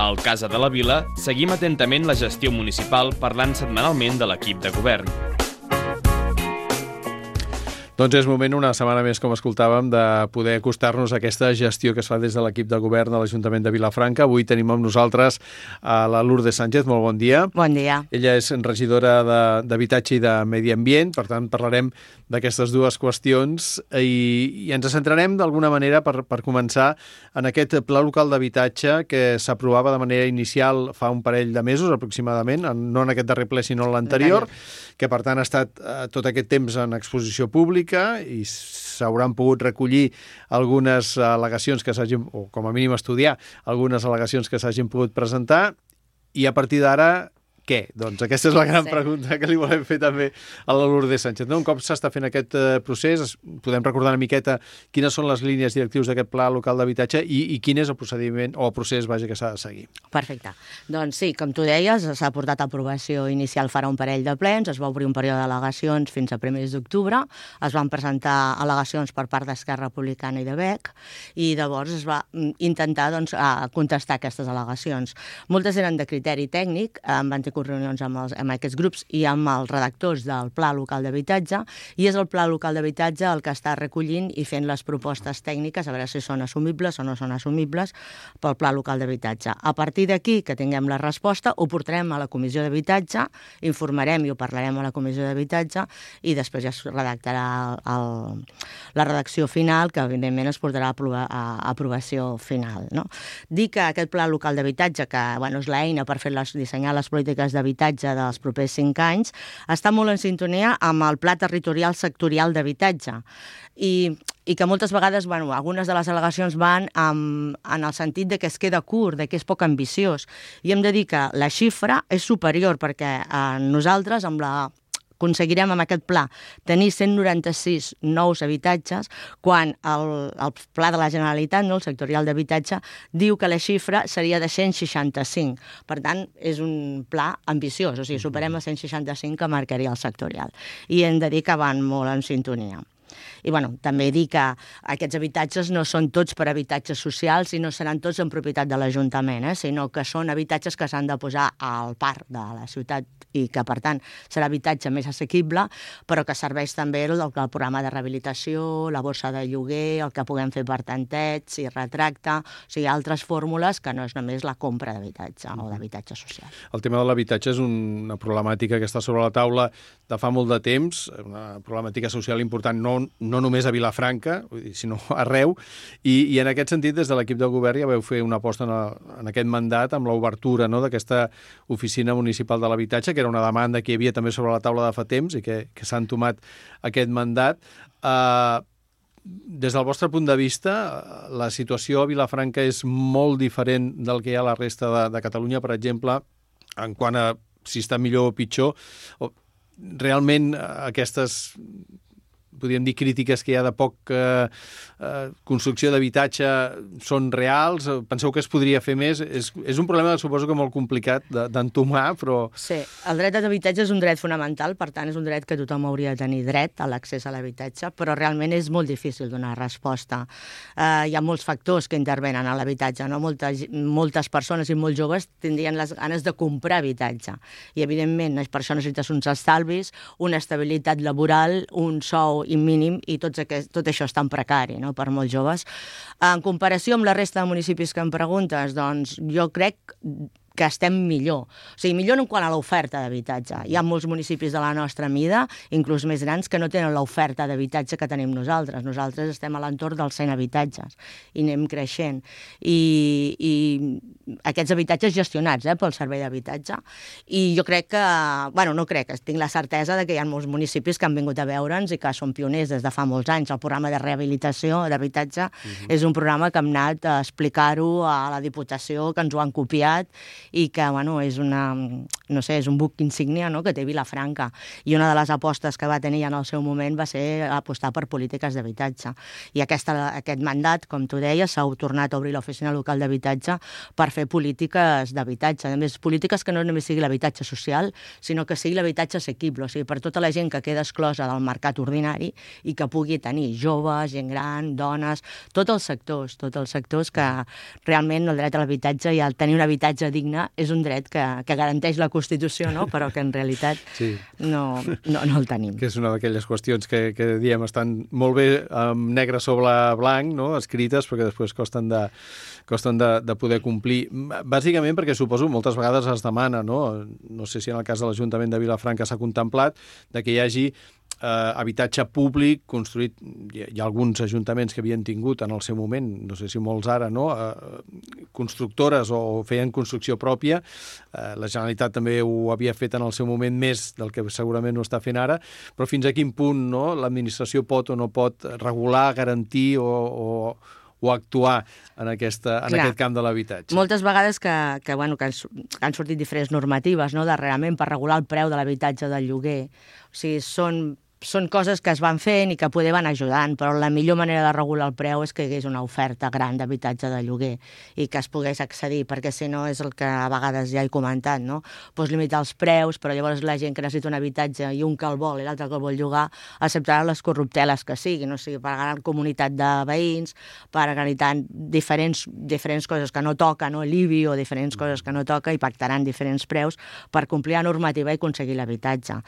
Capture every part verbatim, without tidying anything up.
Al Casa de la Vila seguim atentament la gestió municipal parlant setmanalment de l'equip de govern. Doncs és moment, una setmana més, com escoltàvem, de poder acostar-nos a aquesta gestió que es fa des de l'equip de govern de l'Ajuntament de Vilafranca. Avui tenim amb nosaltres a la Lourdes Sánchez. Molt bon dia. Bon dia. Ella és regidora d'Habitatge i de Medi Ambient, per tant parlarem d'aquestes dues qüestions i, i ens centrarem d'alguna manera per, per començar en aquest pla local d'habitatge que s'aprovava de manera inicial fa un parell de mesos aproximadament, no en aquest darrer ple sinó en l'anterior, que per tant ha estat eh, tot aquest temps en exposició pública i s'hauran pogut recollir algunes al·legacions que s'hagin, o com a mínim estudiar algunes al·legacions que s'hagin pogut presentar, i a partir d'ara què? Doncs aquesta és la gran sí. pregunta que li volem fer també a la Lourdes Sánchez. No? Un cop s'està fent aquest eh, procés, podem recordar una miqueta quines són les línies directius d'aquest pla local d'habitatge i, i quin és el procediment o el procés vaja, que s'ha de seguir. Perfecte. Doncs sí, com tu deies, s'ha portat a aprovació inicial farà un parell de plens, es va obrir un període d'al·legacions fins a primers d'octubre, es van presentar al·legacions per part d'Esquerra Republicana i de B E C, i llavors es va intentar doncs, contestar aquestes al·legacions. Moltes eren de criteri tècnic, en van tenir reunions amb, els, amb aquests grups i amb els redactors del Pla Local d'Habitatge, i és el Pla Local d'Habitatge el que està recollint i fent les propostes tècniques a veure si són assumibles o no són assumibles pel Pla Local d'Habitatge. A partir d'aquí, que tinguem la resposta, ho portarem a la Comissió d'Habitatge, informarem i ho parlarem a la Comissió d'Habitatge i després ja es redactarà el, la redacció final, que evidentment es portarà a, aprovar, a aprovació final. No? Dir que aquest Pla Local d'Habitatge, que bueno, és l'eina per fer les, dissenyar les polítiques d'habitatge dels propers cinc anys, està molt en sintonia amb el Pla Territorial Sectorial d'Habitatge. I, i que moltes vegades, bueno, algunes de les al·legacions van en, en el sentit de que es queda curt, de que és poc ambiciós. I hem de dir que la xifra és superior, perquè eh, nosaltres, amb la aconseguirem amb aquest pla tenir cent noranta-sis nous habitatges, quan el, el pla de la Generalitat, no, el sectorial d'habitatge, diu que la xifra seria de cent seixanta-cinc. Per tant, és un pla ambiciós, o sigui, superem els cent seixanta-cinc que marcaria el sectorial. I hem de dir que van molt en sintonia. I bueno, també dir que aquests habitatges no són tots per habitatges socials i no seran tots en propietat de l'Ajuntament, eh? sinó que són habitatges que s'han de posar al parc de la ciutat i que, per tant, serà habitatge més assequible, però que serveix també el, el programa de rehabilitació, la borsa de lloguer, el que puguem fer per tanteig i retracte, o sigui, altres fórmules que no és només la compra d'habitatge o d'habitatge social. El tema de l'habitatge és una problemàtica que està sobre la taula de fa molt de temps, una problemàtica social important, no, no només a Vilafranca, sinó arreu, i, i en aquest sentit, des de l'equip de govern ja vau fer una aposta en, el, en aquest mandat amb l'obertura, no?, d'aquesta oficina municipal de l'habitatge, que era una demanda que hi havia també sobre la taula de fa temps i que, que s'ha entomat aquest mandat. Uh, des del vostre punt de vista, la situació a Vilafranca és molt diferent del que hi ha a la resta de, de Catalunya, per exemple, en quant a si està millor o pitjor. Realment aquestes, podríem dir, crítiques que hi ha de poc eh, eh, construcció d'habitatge són reals? Penseu que es podria fer més? És, és un problema, suposo que molt complicat d'entomar, però... Sí, el dret a l'habitatge és un dret fonamental, per tant és un dret que tothom hauria de tenir dret a l'accés a l'habitatge, però realment és molt difícil donar resposta. Eh, hi ha molts factors que intervenen a l'habitatge, no? Moltes, moltes persones i molts joves tindrien les ganes de comprar habitatge i, evidentment, per això necessites uns estalvis, una estabilitat laboral, un sou i mínim, i tots aquest, tot això és tan precari, no?, per molts joves. En comparació amb la resta de municipis que em preguntes, doncs jo crec que estem millor. O sigui, millor en quant a l'oferta d'habitatge. Hi ha molts municipis de la nostra mida, inclús més grans, que no tenen l'oferta d'habitatge que tenim nosaltres. Nosaltres estem a l'entorn dels cent habitatges i anem creixent. I, i aquests habitatges gestionats eh, pel Servei d'Habitatge. I jo crec que, bueno, no crec, tinc la certesa de que hi ha molts municipis que han vingut a veure'ns i que són pioners des de fa molts anys. El programa de rehabilitació d'habitatge uh-huh. és un programa que hem anat a explicar-ho a la Diputació, que ens ho han copiat, i que, bueno, és una, no sé, és un buc insígnia, no?, que té Vilafranca. I una de les apostes que va tenir en el seu moment va ser apostar per polítiques d'habitatge. I aquesta, aquest mandat, com tu deies, s'ha tornat a obrir l'oficina local d'habitatge per fer polítiques d'habitatge. A més, polítiques que no només sigui l'habitatge social, sinó que sigui l'habitatge assequible, o sigui, per tota la gent que queda exclosa del mercat ordinari i que pugui tenir joves, gent gran, dones, tots els sectors, tots els sectors que realment el dret a l'habitatge i el tenir un habitatge digne és un dret que, que garanteix la Constitució, no?, però que en realitat sí. no, no, no el tenim. Que és una d'aquelles qüestions que, que diem estan molt bé amb negre sobre blanc, no?, escrites, perquè després costen de, costen de, de poder complir. Bàsicament perquè suposo moltes vegades es demana, no? No sé si en el cas de l'Ajuntament de Vilafranca s'ha contemplat de que hi hagi eh, habitatge públic construït. Hi, hi ha alguns ajuntaments que havien tingut en el seu moment, no sé si molts ara, no?, eh, constructores o feien construcció pròpia. Eh, la Generalitat també ho havia fet en el seu moment més del que segurament ho està fent ara, però fins a quin punt, no?, l'administració pot o no pot regular, garantir o, o o actuar en, aquesta, en Clar, aquest camp de l'habitatge. Moltes vegades que, que, bueno, que han, han sortit diferents normatives, no?, darrerament per regular el preu de l'habitatge del lloguer. O sigui, són són coses que es van fent i que poder van ajudant, però la millor manera de regular el preu és que hi hagués una oferta gran d'habitatge de lloguer i que es pogués accedir, perquè si no és el que a vegades ja he comentat, no? Pots limitar els preus, però llavors la gent que necessita un habitatge i un que el vol i l'altre que el vol llogar acceptarà les corrupteles que siguin, o sigui, per gran comunitat de veïns, per organitzar diferents, diferents coses que no toca, no? l'I B I o diferents coses que no toca i pactaran diferents preus per complir la normativa i aconseguir l'habitatge.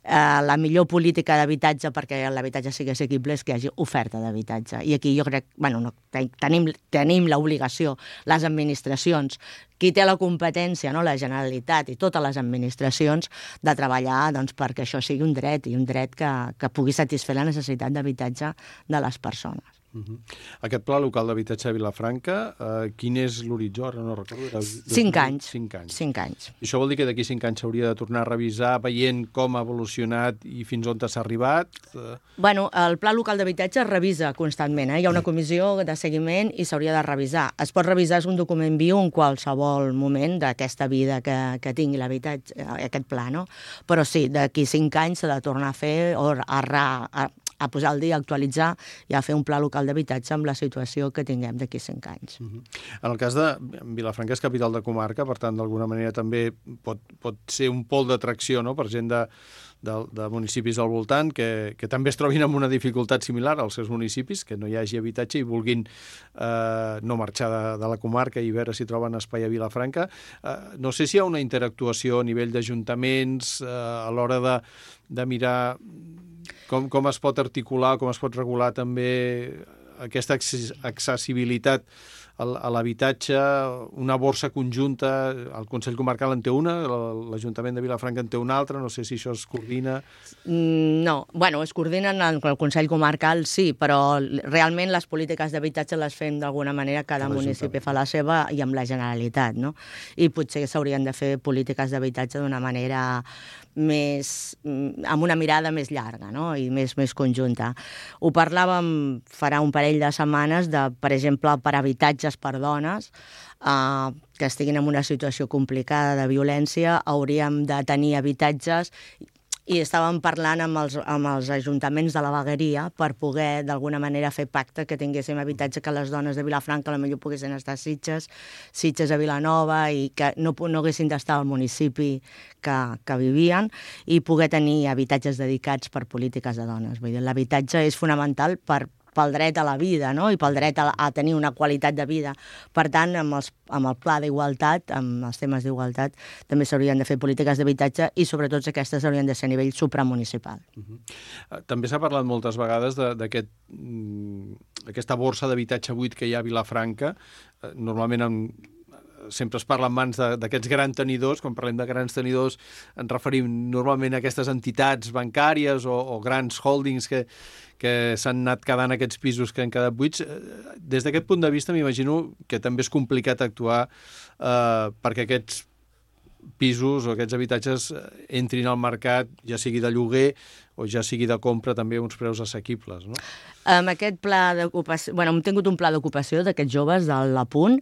Eh, la millor política de habitatge perquè l'habitatge sigui assequible és que hi hagi oferta d'habitatge. I aquí jo crec, bueno, no, tenim, tenim l'obligació, les administracions, qui té la competència, no, la Generalitat i totes les administracions, de treballar doncs, perquè això sigui un dret i un dret que, que pugui satisfer la necessitat d'habitatge de les persones. Uh-huh. Aquest pla local d'habitatge de Vilafranca, eh, quin és l'horitzó? Ara no recordo. Era cinc anys. Cinc anys. Cinc anys. I això vol dir que d'aquí cinc anys s'hauria de tornar a revisar veient com ha evolucionat i fins on s'ha arribat? Bueno, el pla local d'habitatge es revisa constantment. Eh? Hi ha una comissió de seguiment i s'hauria de revisar. Es pot revisar, és un document viu en qualsevol moment d'aquesta vida que, que tingui l'habitatge, aquest pla, no? Però sí, d'aquí cinc anys s'ha de tornar a fer o a, a, a posar al dia, a actualitzar i a fer un pla local d'habitatge amb la situació que tinguem d'aquí cinc anys. Uh-huh. En el cas de Vilafranca és capital de comarca, per tant, d'alguna manera també pot, pot ser un pol d'atracció, no?, per gent de, de, de municipis al voltant que, que també es trobin amb una dificultat similar als seus municipis, que no hi hagi habitatge i vulguin eh, no marxar de, de la comarca i veure si troben espai a Vilafranca. Eh, no sé si hi ha una interactuació a nivell d'ajuntaments eh, a l'hora de, de mirar com, com es pot articular, com es pot regular també aquesta accessibilitat a l'habitatge, una borsa conjunta, el Consell Comarcal en té una, l'Ajuntament de Vilafranca en té una altra, no sé si això es coordina. No, bueno, es coordinen en el Consell Comarcal, sí, però realment les polítiques d'habitatge les fem d'alguna manera, cada municipi fa la seva i amb la Generalitat, no? I potser s'haurien de fer polítiques d'habitatge d'una manera més, amb una mirada més llarga, no?, i més, més conjunta. Ho parlàvem farà un parell de setmanes de, per exemple, per habitatges per dones eh, que estiguin en una situació complicada de violència, hauríem de tenir habitatges i estàvem parlant amb els, amb els ajuntaments de la vegueria per poder, d'alguna manera, fer pacte que tinguéssim habitatge, que les dones de Vilafranca potser poguessin estar a Sitges, Sitges a Vilanova, i que no, no haguessin d'estar al municipi que, que vivien, i poder tenir habitatges dedicats per polítiques de dones. Vull dir, l'habitatge és fonamental per pel dret a la vida, no?, i pel dret a, a tenir una qualitat de vida. Per tant, amb, els, amb el pla d'igualtat, amb els temes d'igualtat, també s'haurien de fer polítiques d'habitatge i sobretot aquestes haurien de ser a nivell supramunicipal. Uh-huh. També s'ha parlat moltes vegades d'aquest, aquesta borsa d'habitatge buit que hi ha a Vilafranca. Normalment amb sempre es parla en mans d'aquests grans tenidors. Quan parlem de grans tenidors ens referim normalment a aquestes entitats bancàries o, o grans holdings que, que s'han anat quedant aquests pisos que han quedat buits. Des d'aquest punt de vista m'imagino que també és complicat actuar eh, perquè aquests pisos o aquests habitatges entrin al mercat, ja sigui de lloguer o ja sigui de compra, també a uns preus assequibles, no? Amb aquest pla d'ocupació... Bueno, hem tingut un pla d'ocupació d'aquests joves de l'Apunt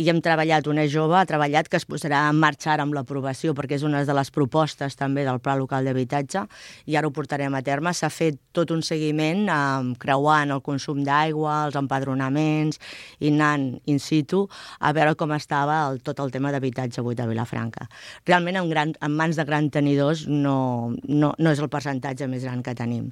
i hem treballat, una jove ha treballat que es posarà en marxa ara amb l'aprovació, perquè és una de les propostes també del Pla Local d'Habitatge, i ara ho portarem a terme. S'ha fet tot un seguiment eh, creuant el consum d'aigua, els empadronaments, i anant in situ a veure com estava el, tot el tema d'habitatge buit a Vilafranca. Realment, en, gran, en mans de grans tenidors no, no, no és el percentatge més gran que tenim.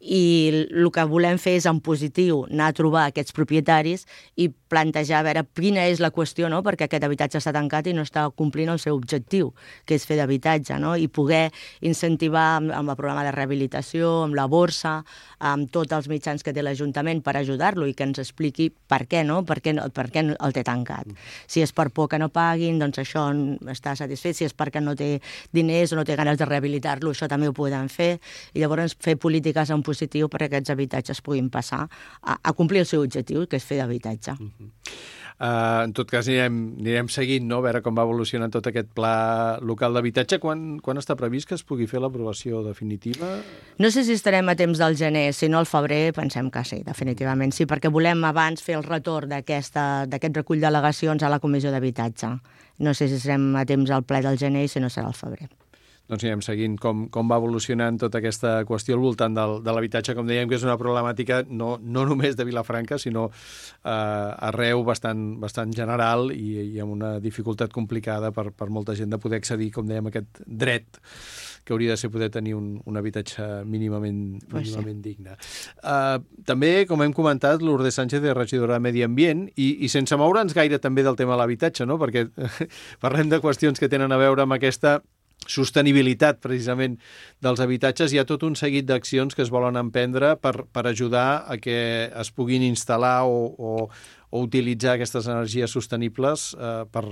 I el que volem fer és en positiu anar a trobar aquests propietaris i plantejar a veure quina és la qüestió, no? Perquè aquest habitatge està tancat i no està complint el seu objectiu, que és fer d'habitatge, no? I poder incentivar amb, amb el programa de rehabilitació, amb la borsa, amb tots els mitjans que té l'Ajuntament per ajudar-lo i que ens expliqui per què, no? Per què, per què el té tancat. Si és per por que no paguin, doncs això està satisfet. Si és perquè no té diners o no té ganes de rehabilitar-lo, això també ho podem fer. I llavors fer polítiques en positiu perquè aquests habitatges puguin passar a, a complir el seu objectiu, que és fer d'habitatge. Uh-huh. Uh, en tot cas, anirem, anirem seguint, no? A veure com va evolucionant tot aquest pla local d'habitatge. Quan, quan està previst que es pugui fer l'aprovació definitiva? No sé si estarem a temps del gener, si no al febrer pensem que sí, definitivament sí, perquè volem abans fer el retorn d'aquest recull d'al·legacions a la Comissió d'Habitatge. No sé si serem a temps al ple del gener i si no serà al febrer. Doncs anirem seguint com, com va evolucionant tota aquesta qüestió al voltant del, de l'habitatge, com dèiem, que és una problemàtica no, no només de Vilafranca, sinó eh, arreu bastant, bastant general i, i amb una dificultat complicada per, per molta gent de poder accedir, com dèiem, a aquest dret que hauria de ser poder tenir un, un habitatge mínimament, pues mínimament sí. digne. Uh, també, com hem comentat, Lourdes Sánchez és regidora de Medi Ambient i, i sense moure'ns gaire també del tema de l'habitatge, no? Perquè parlem de qüestions que tenen a veure amb aquesta sostenibilitat, precisament, dels habitatges. Hi ha tot un seguit d'accions que es volen emprendre per, per ajudar a que es puguin instal·lar o, o, o utilitzar aquestes energies sostenibles eh, per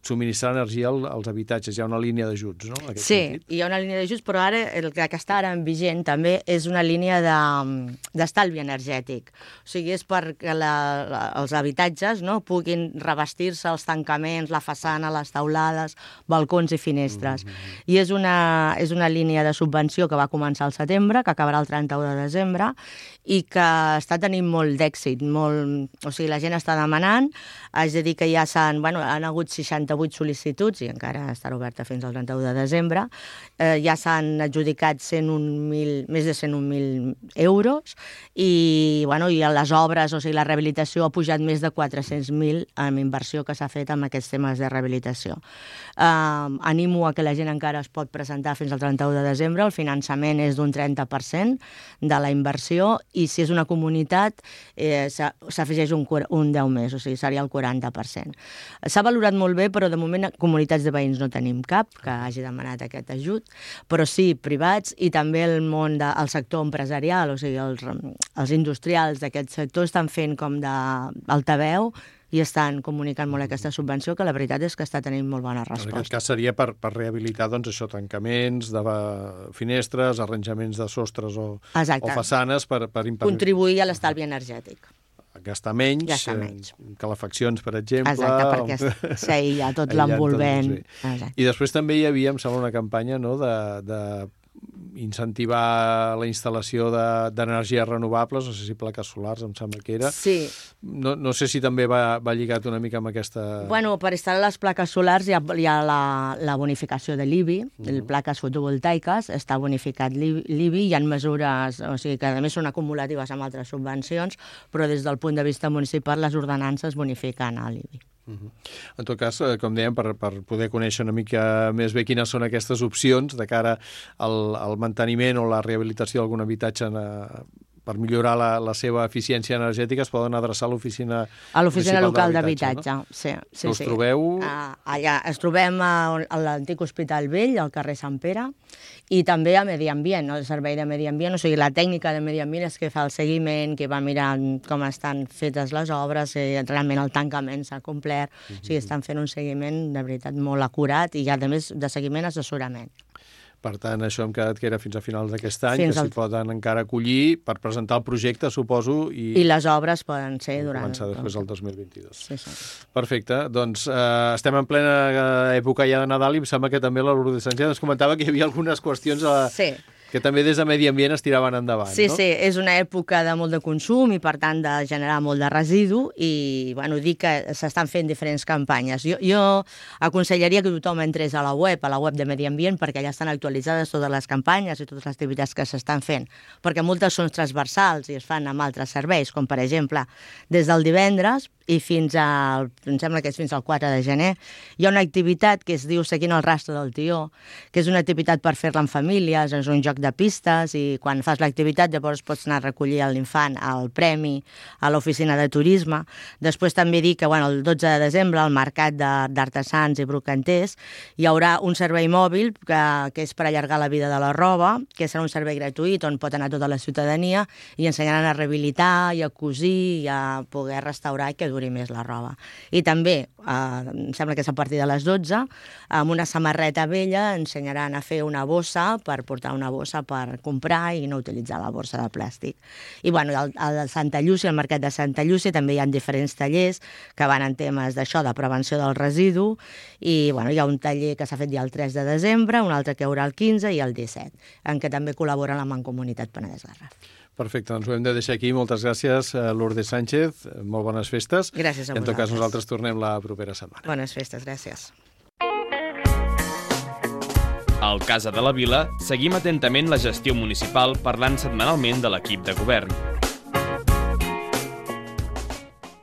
subministrar energia als habitatges. Hi ha una línia d'ajuts, no? En aquest sí, sentit. Hi ha una línia d'ajuts, però ara el que està ara en vigent també és una línia d'estalvi de, energètic. O sigui, és perquè la, la, els habitatges no, puguin revestir-se els tancaments, la façana, les teulades, balcons i finestres. Mm-hmm. I és una, és una línia de subvenció que va començar al setembre, que acabarà el trenta-u de desembre, i que està tenint molt d'èxit, molt... O sigui, la gent està demanant. Haig de dir que ja s'han... Bueno, han hagut seixanta-vuit sol·licituds i encara estarà oberta fins al trenta-u de desembre. Eh, ja s'han adjudicat cent un mil, més de cent un mil euros i, bueno, i les obres, o sigui, la rehabilitació ha pujat més de quatre-cents mil amb inversió que s'ha fet amb aquests temes de rehabilitació. Eh, animo a que la gent encara es pot presentar fins al trenta-u de desembre. El finançament és d'un trenta per cent de la inversió i si és una comunitat eh, s'afegeix un, un deu més, o sigui, seria el quaranta per cent. S'ha valorat molt bé, però de moment comunitats de veïns no tenim cap que hagi demanat aquest ajut, però sí privats i també el món del sector empresarial, o sigui, els, els industrials d'aquest sector estan fent com d'altaveu i estan comunicant molt aquesta subvenció, que la veritat és que està tenint molt bona resposta. En aquest cas seria per, per rehabilitar doncs, això, tancaments de finestres, arranjaments de sostres o, o façanes per, per impedir... Contribuir a l'estalvi energètic. Gastar menys, Gastar menys. Eh, calefaccions, per exemple... Exacte, perquè s'aïlla tot l'envolvent. I després també hi havia, em sembla, una campanya no, de... de incentivar la instal·lació d'energies de, renovables, no sé si plaques solars, em sembla que era. Sí. No, no sé si també va, va lligat una mica amb aquesta... Bueno, per instal·lar les plaques solars hi ha, hi ha la, la bonificació de l'I B I, uh -huh. plaques fotovoltaiques, està bonificat l'I B I, hi ha mesures, o sigui, que a més són acumulatives amb altres subvencions, però des del punt de vista municipal les ordenances bonifiquen a l'I B I. Uh -huh. En tot cas, com dèiem, per, per poder conèixer una mica més bé quines són aquestes opcions de cara al, al manteniment o la rehabilitació d'algun habitatge en, per millorar la, la seva eficiència energètica, es poden adreçar a l'oficina a l'oficina local d'habitatge, no? Sí, sí, us sí. trobeu? Uh, allà es trobem a, a l'antic Hospital Vell, al carrer Sant Pere, i també a Medi Ambient, no? El servei de Medi Ambient, o sigui, la tècnica de Medi Ambient és que fa el seguiment, que va mirant com estan fetes les obres, si realment el tancament s'ha complert, uh -huh. O sigui, estan fent un seguiment de veritat molt acurat i, a més, de seguiment assessorament. Per tant, això hem quedat que era fins a finals d'aquest any, fins que s'hi al... poden encara acollir per presentar el projecte, suposo. I, I les obres poden ser durant... Començar després el dos mil vint-i-dos. Sí, sí. Perfecte. Doncs eh, estem en plena època ja de Nadal i em sembla que també la Lourdes Sánchez ens comentava que hi havia algunes qüestions a... Sí. Que també des de Medi Ambient es tiraven endavant, sí, no? Sí, sí, és una època de molt de consum i, per tant, de generar molt de residu i, bueno, dir que s'estan fent diferents campanyes. Jo, jo aconsellaria que tothom entrés a la web, a la web de Medi Ambient, perquè allà estan actualitzades totes les campanyes i totes les activitats que s'estan fent, perquè moltes són transversals i es fan amb altres serveis, com, per exemple, des del divendres i fins al, em sembla que és fins al quatre de gener, hi ha una activitat que es diu Seguint el rastre del tió, que és una activitat per fer-la en famílies, és un joc de pistes i quan fas l'activitat llavors pots anar a recollir l'infant al premi a l'oficina de turisme. Després també dic que bueno, el dotze de desembre al mercat d'artesans i brocanters hi haurà un servei mòbil que, que és per allargar la vida de la roba, que serà un servei gratuït on pot anar tota la ciutadania i ensenyaran a rehabilitar i a cosir i a poder restaurar i que duri més la roba. I també, eh, em sembla que és a partir de les dotze, amb una samarreta vella ensenyaran a fer una bossa per portar una bossa per comprar i no utilitzar la bossa de plàstic. I bueno, al, al Santa Llúcia, al mercat de Santa Llúcia, també hi ha diferents tallers que van en temes d'això, de prevenció del residu, i bueno, hi ha un taller que s'ha fet ja el tres de desembre, un altre que hi haurà el quinze i el disset, en què també col·laboren la Mancomunitat Penedès Garraf. Perfecte, doncs ho hem de deixar aquí. Moltes gràcies, Lourdes Sánchez. Molt bones festes. Gràcies a vosaltres. En tot cas, nosaltres tornem la propera setmana. Bones festes, gràcies. Al Casa de la Vila seguim atentament la gestió municipal parlant setmanalment de l'equip de govern.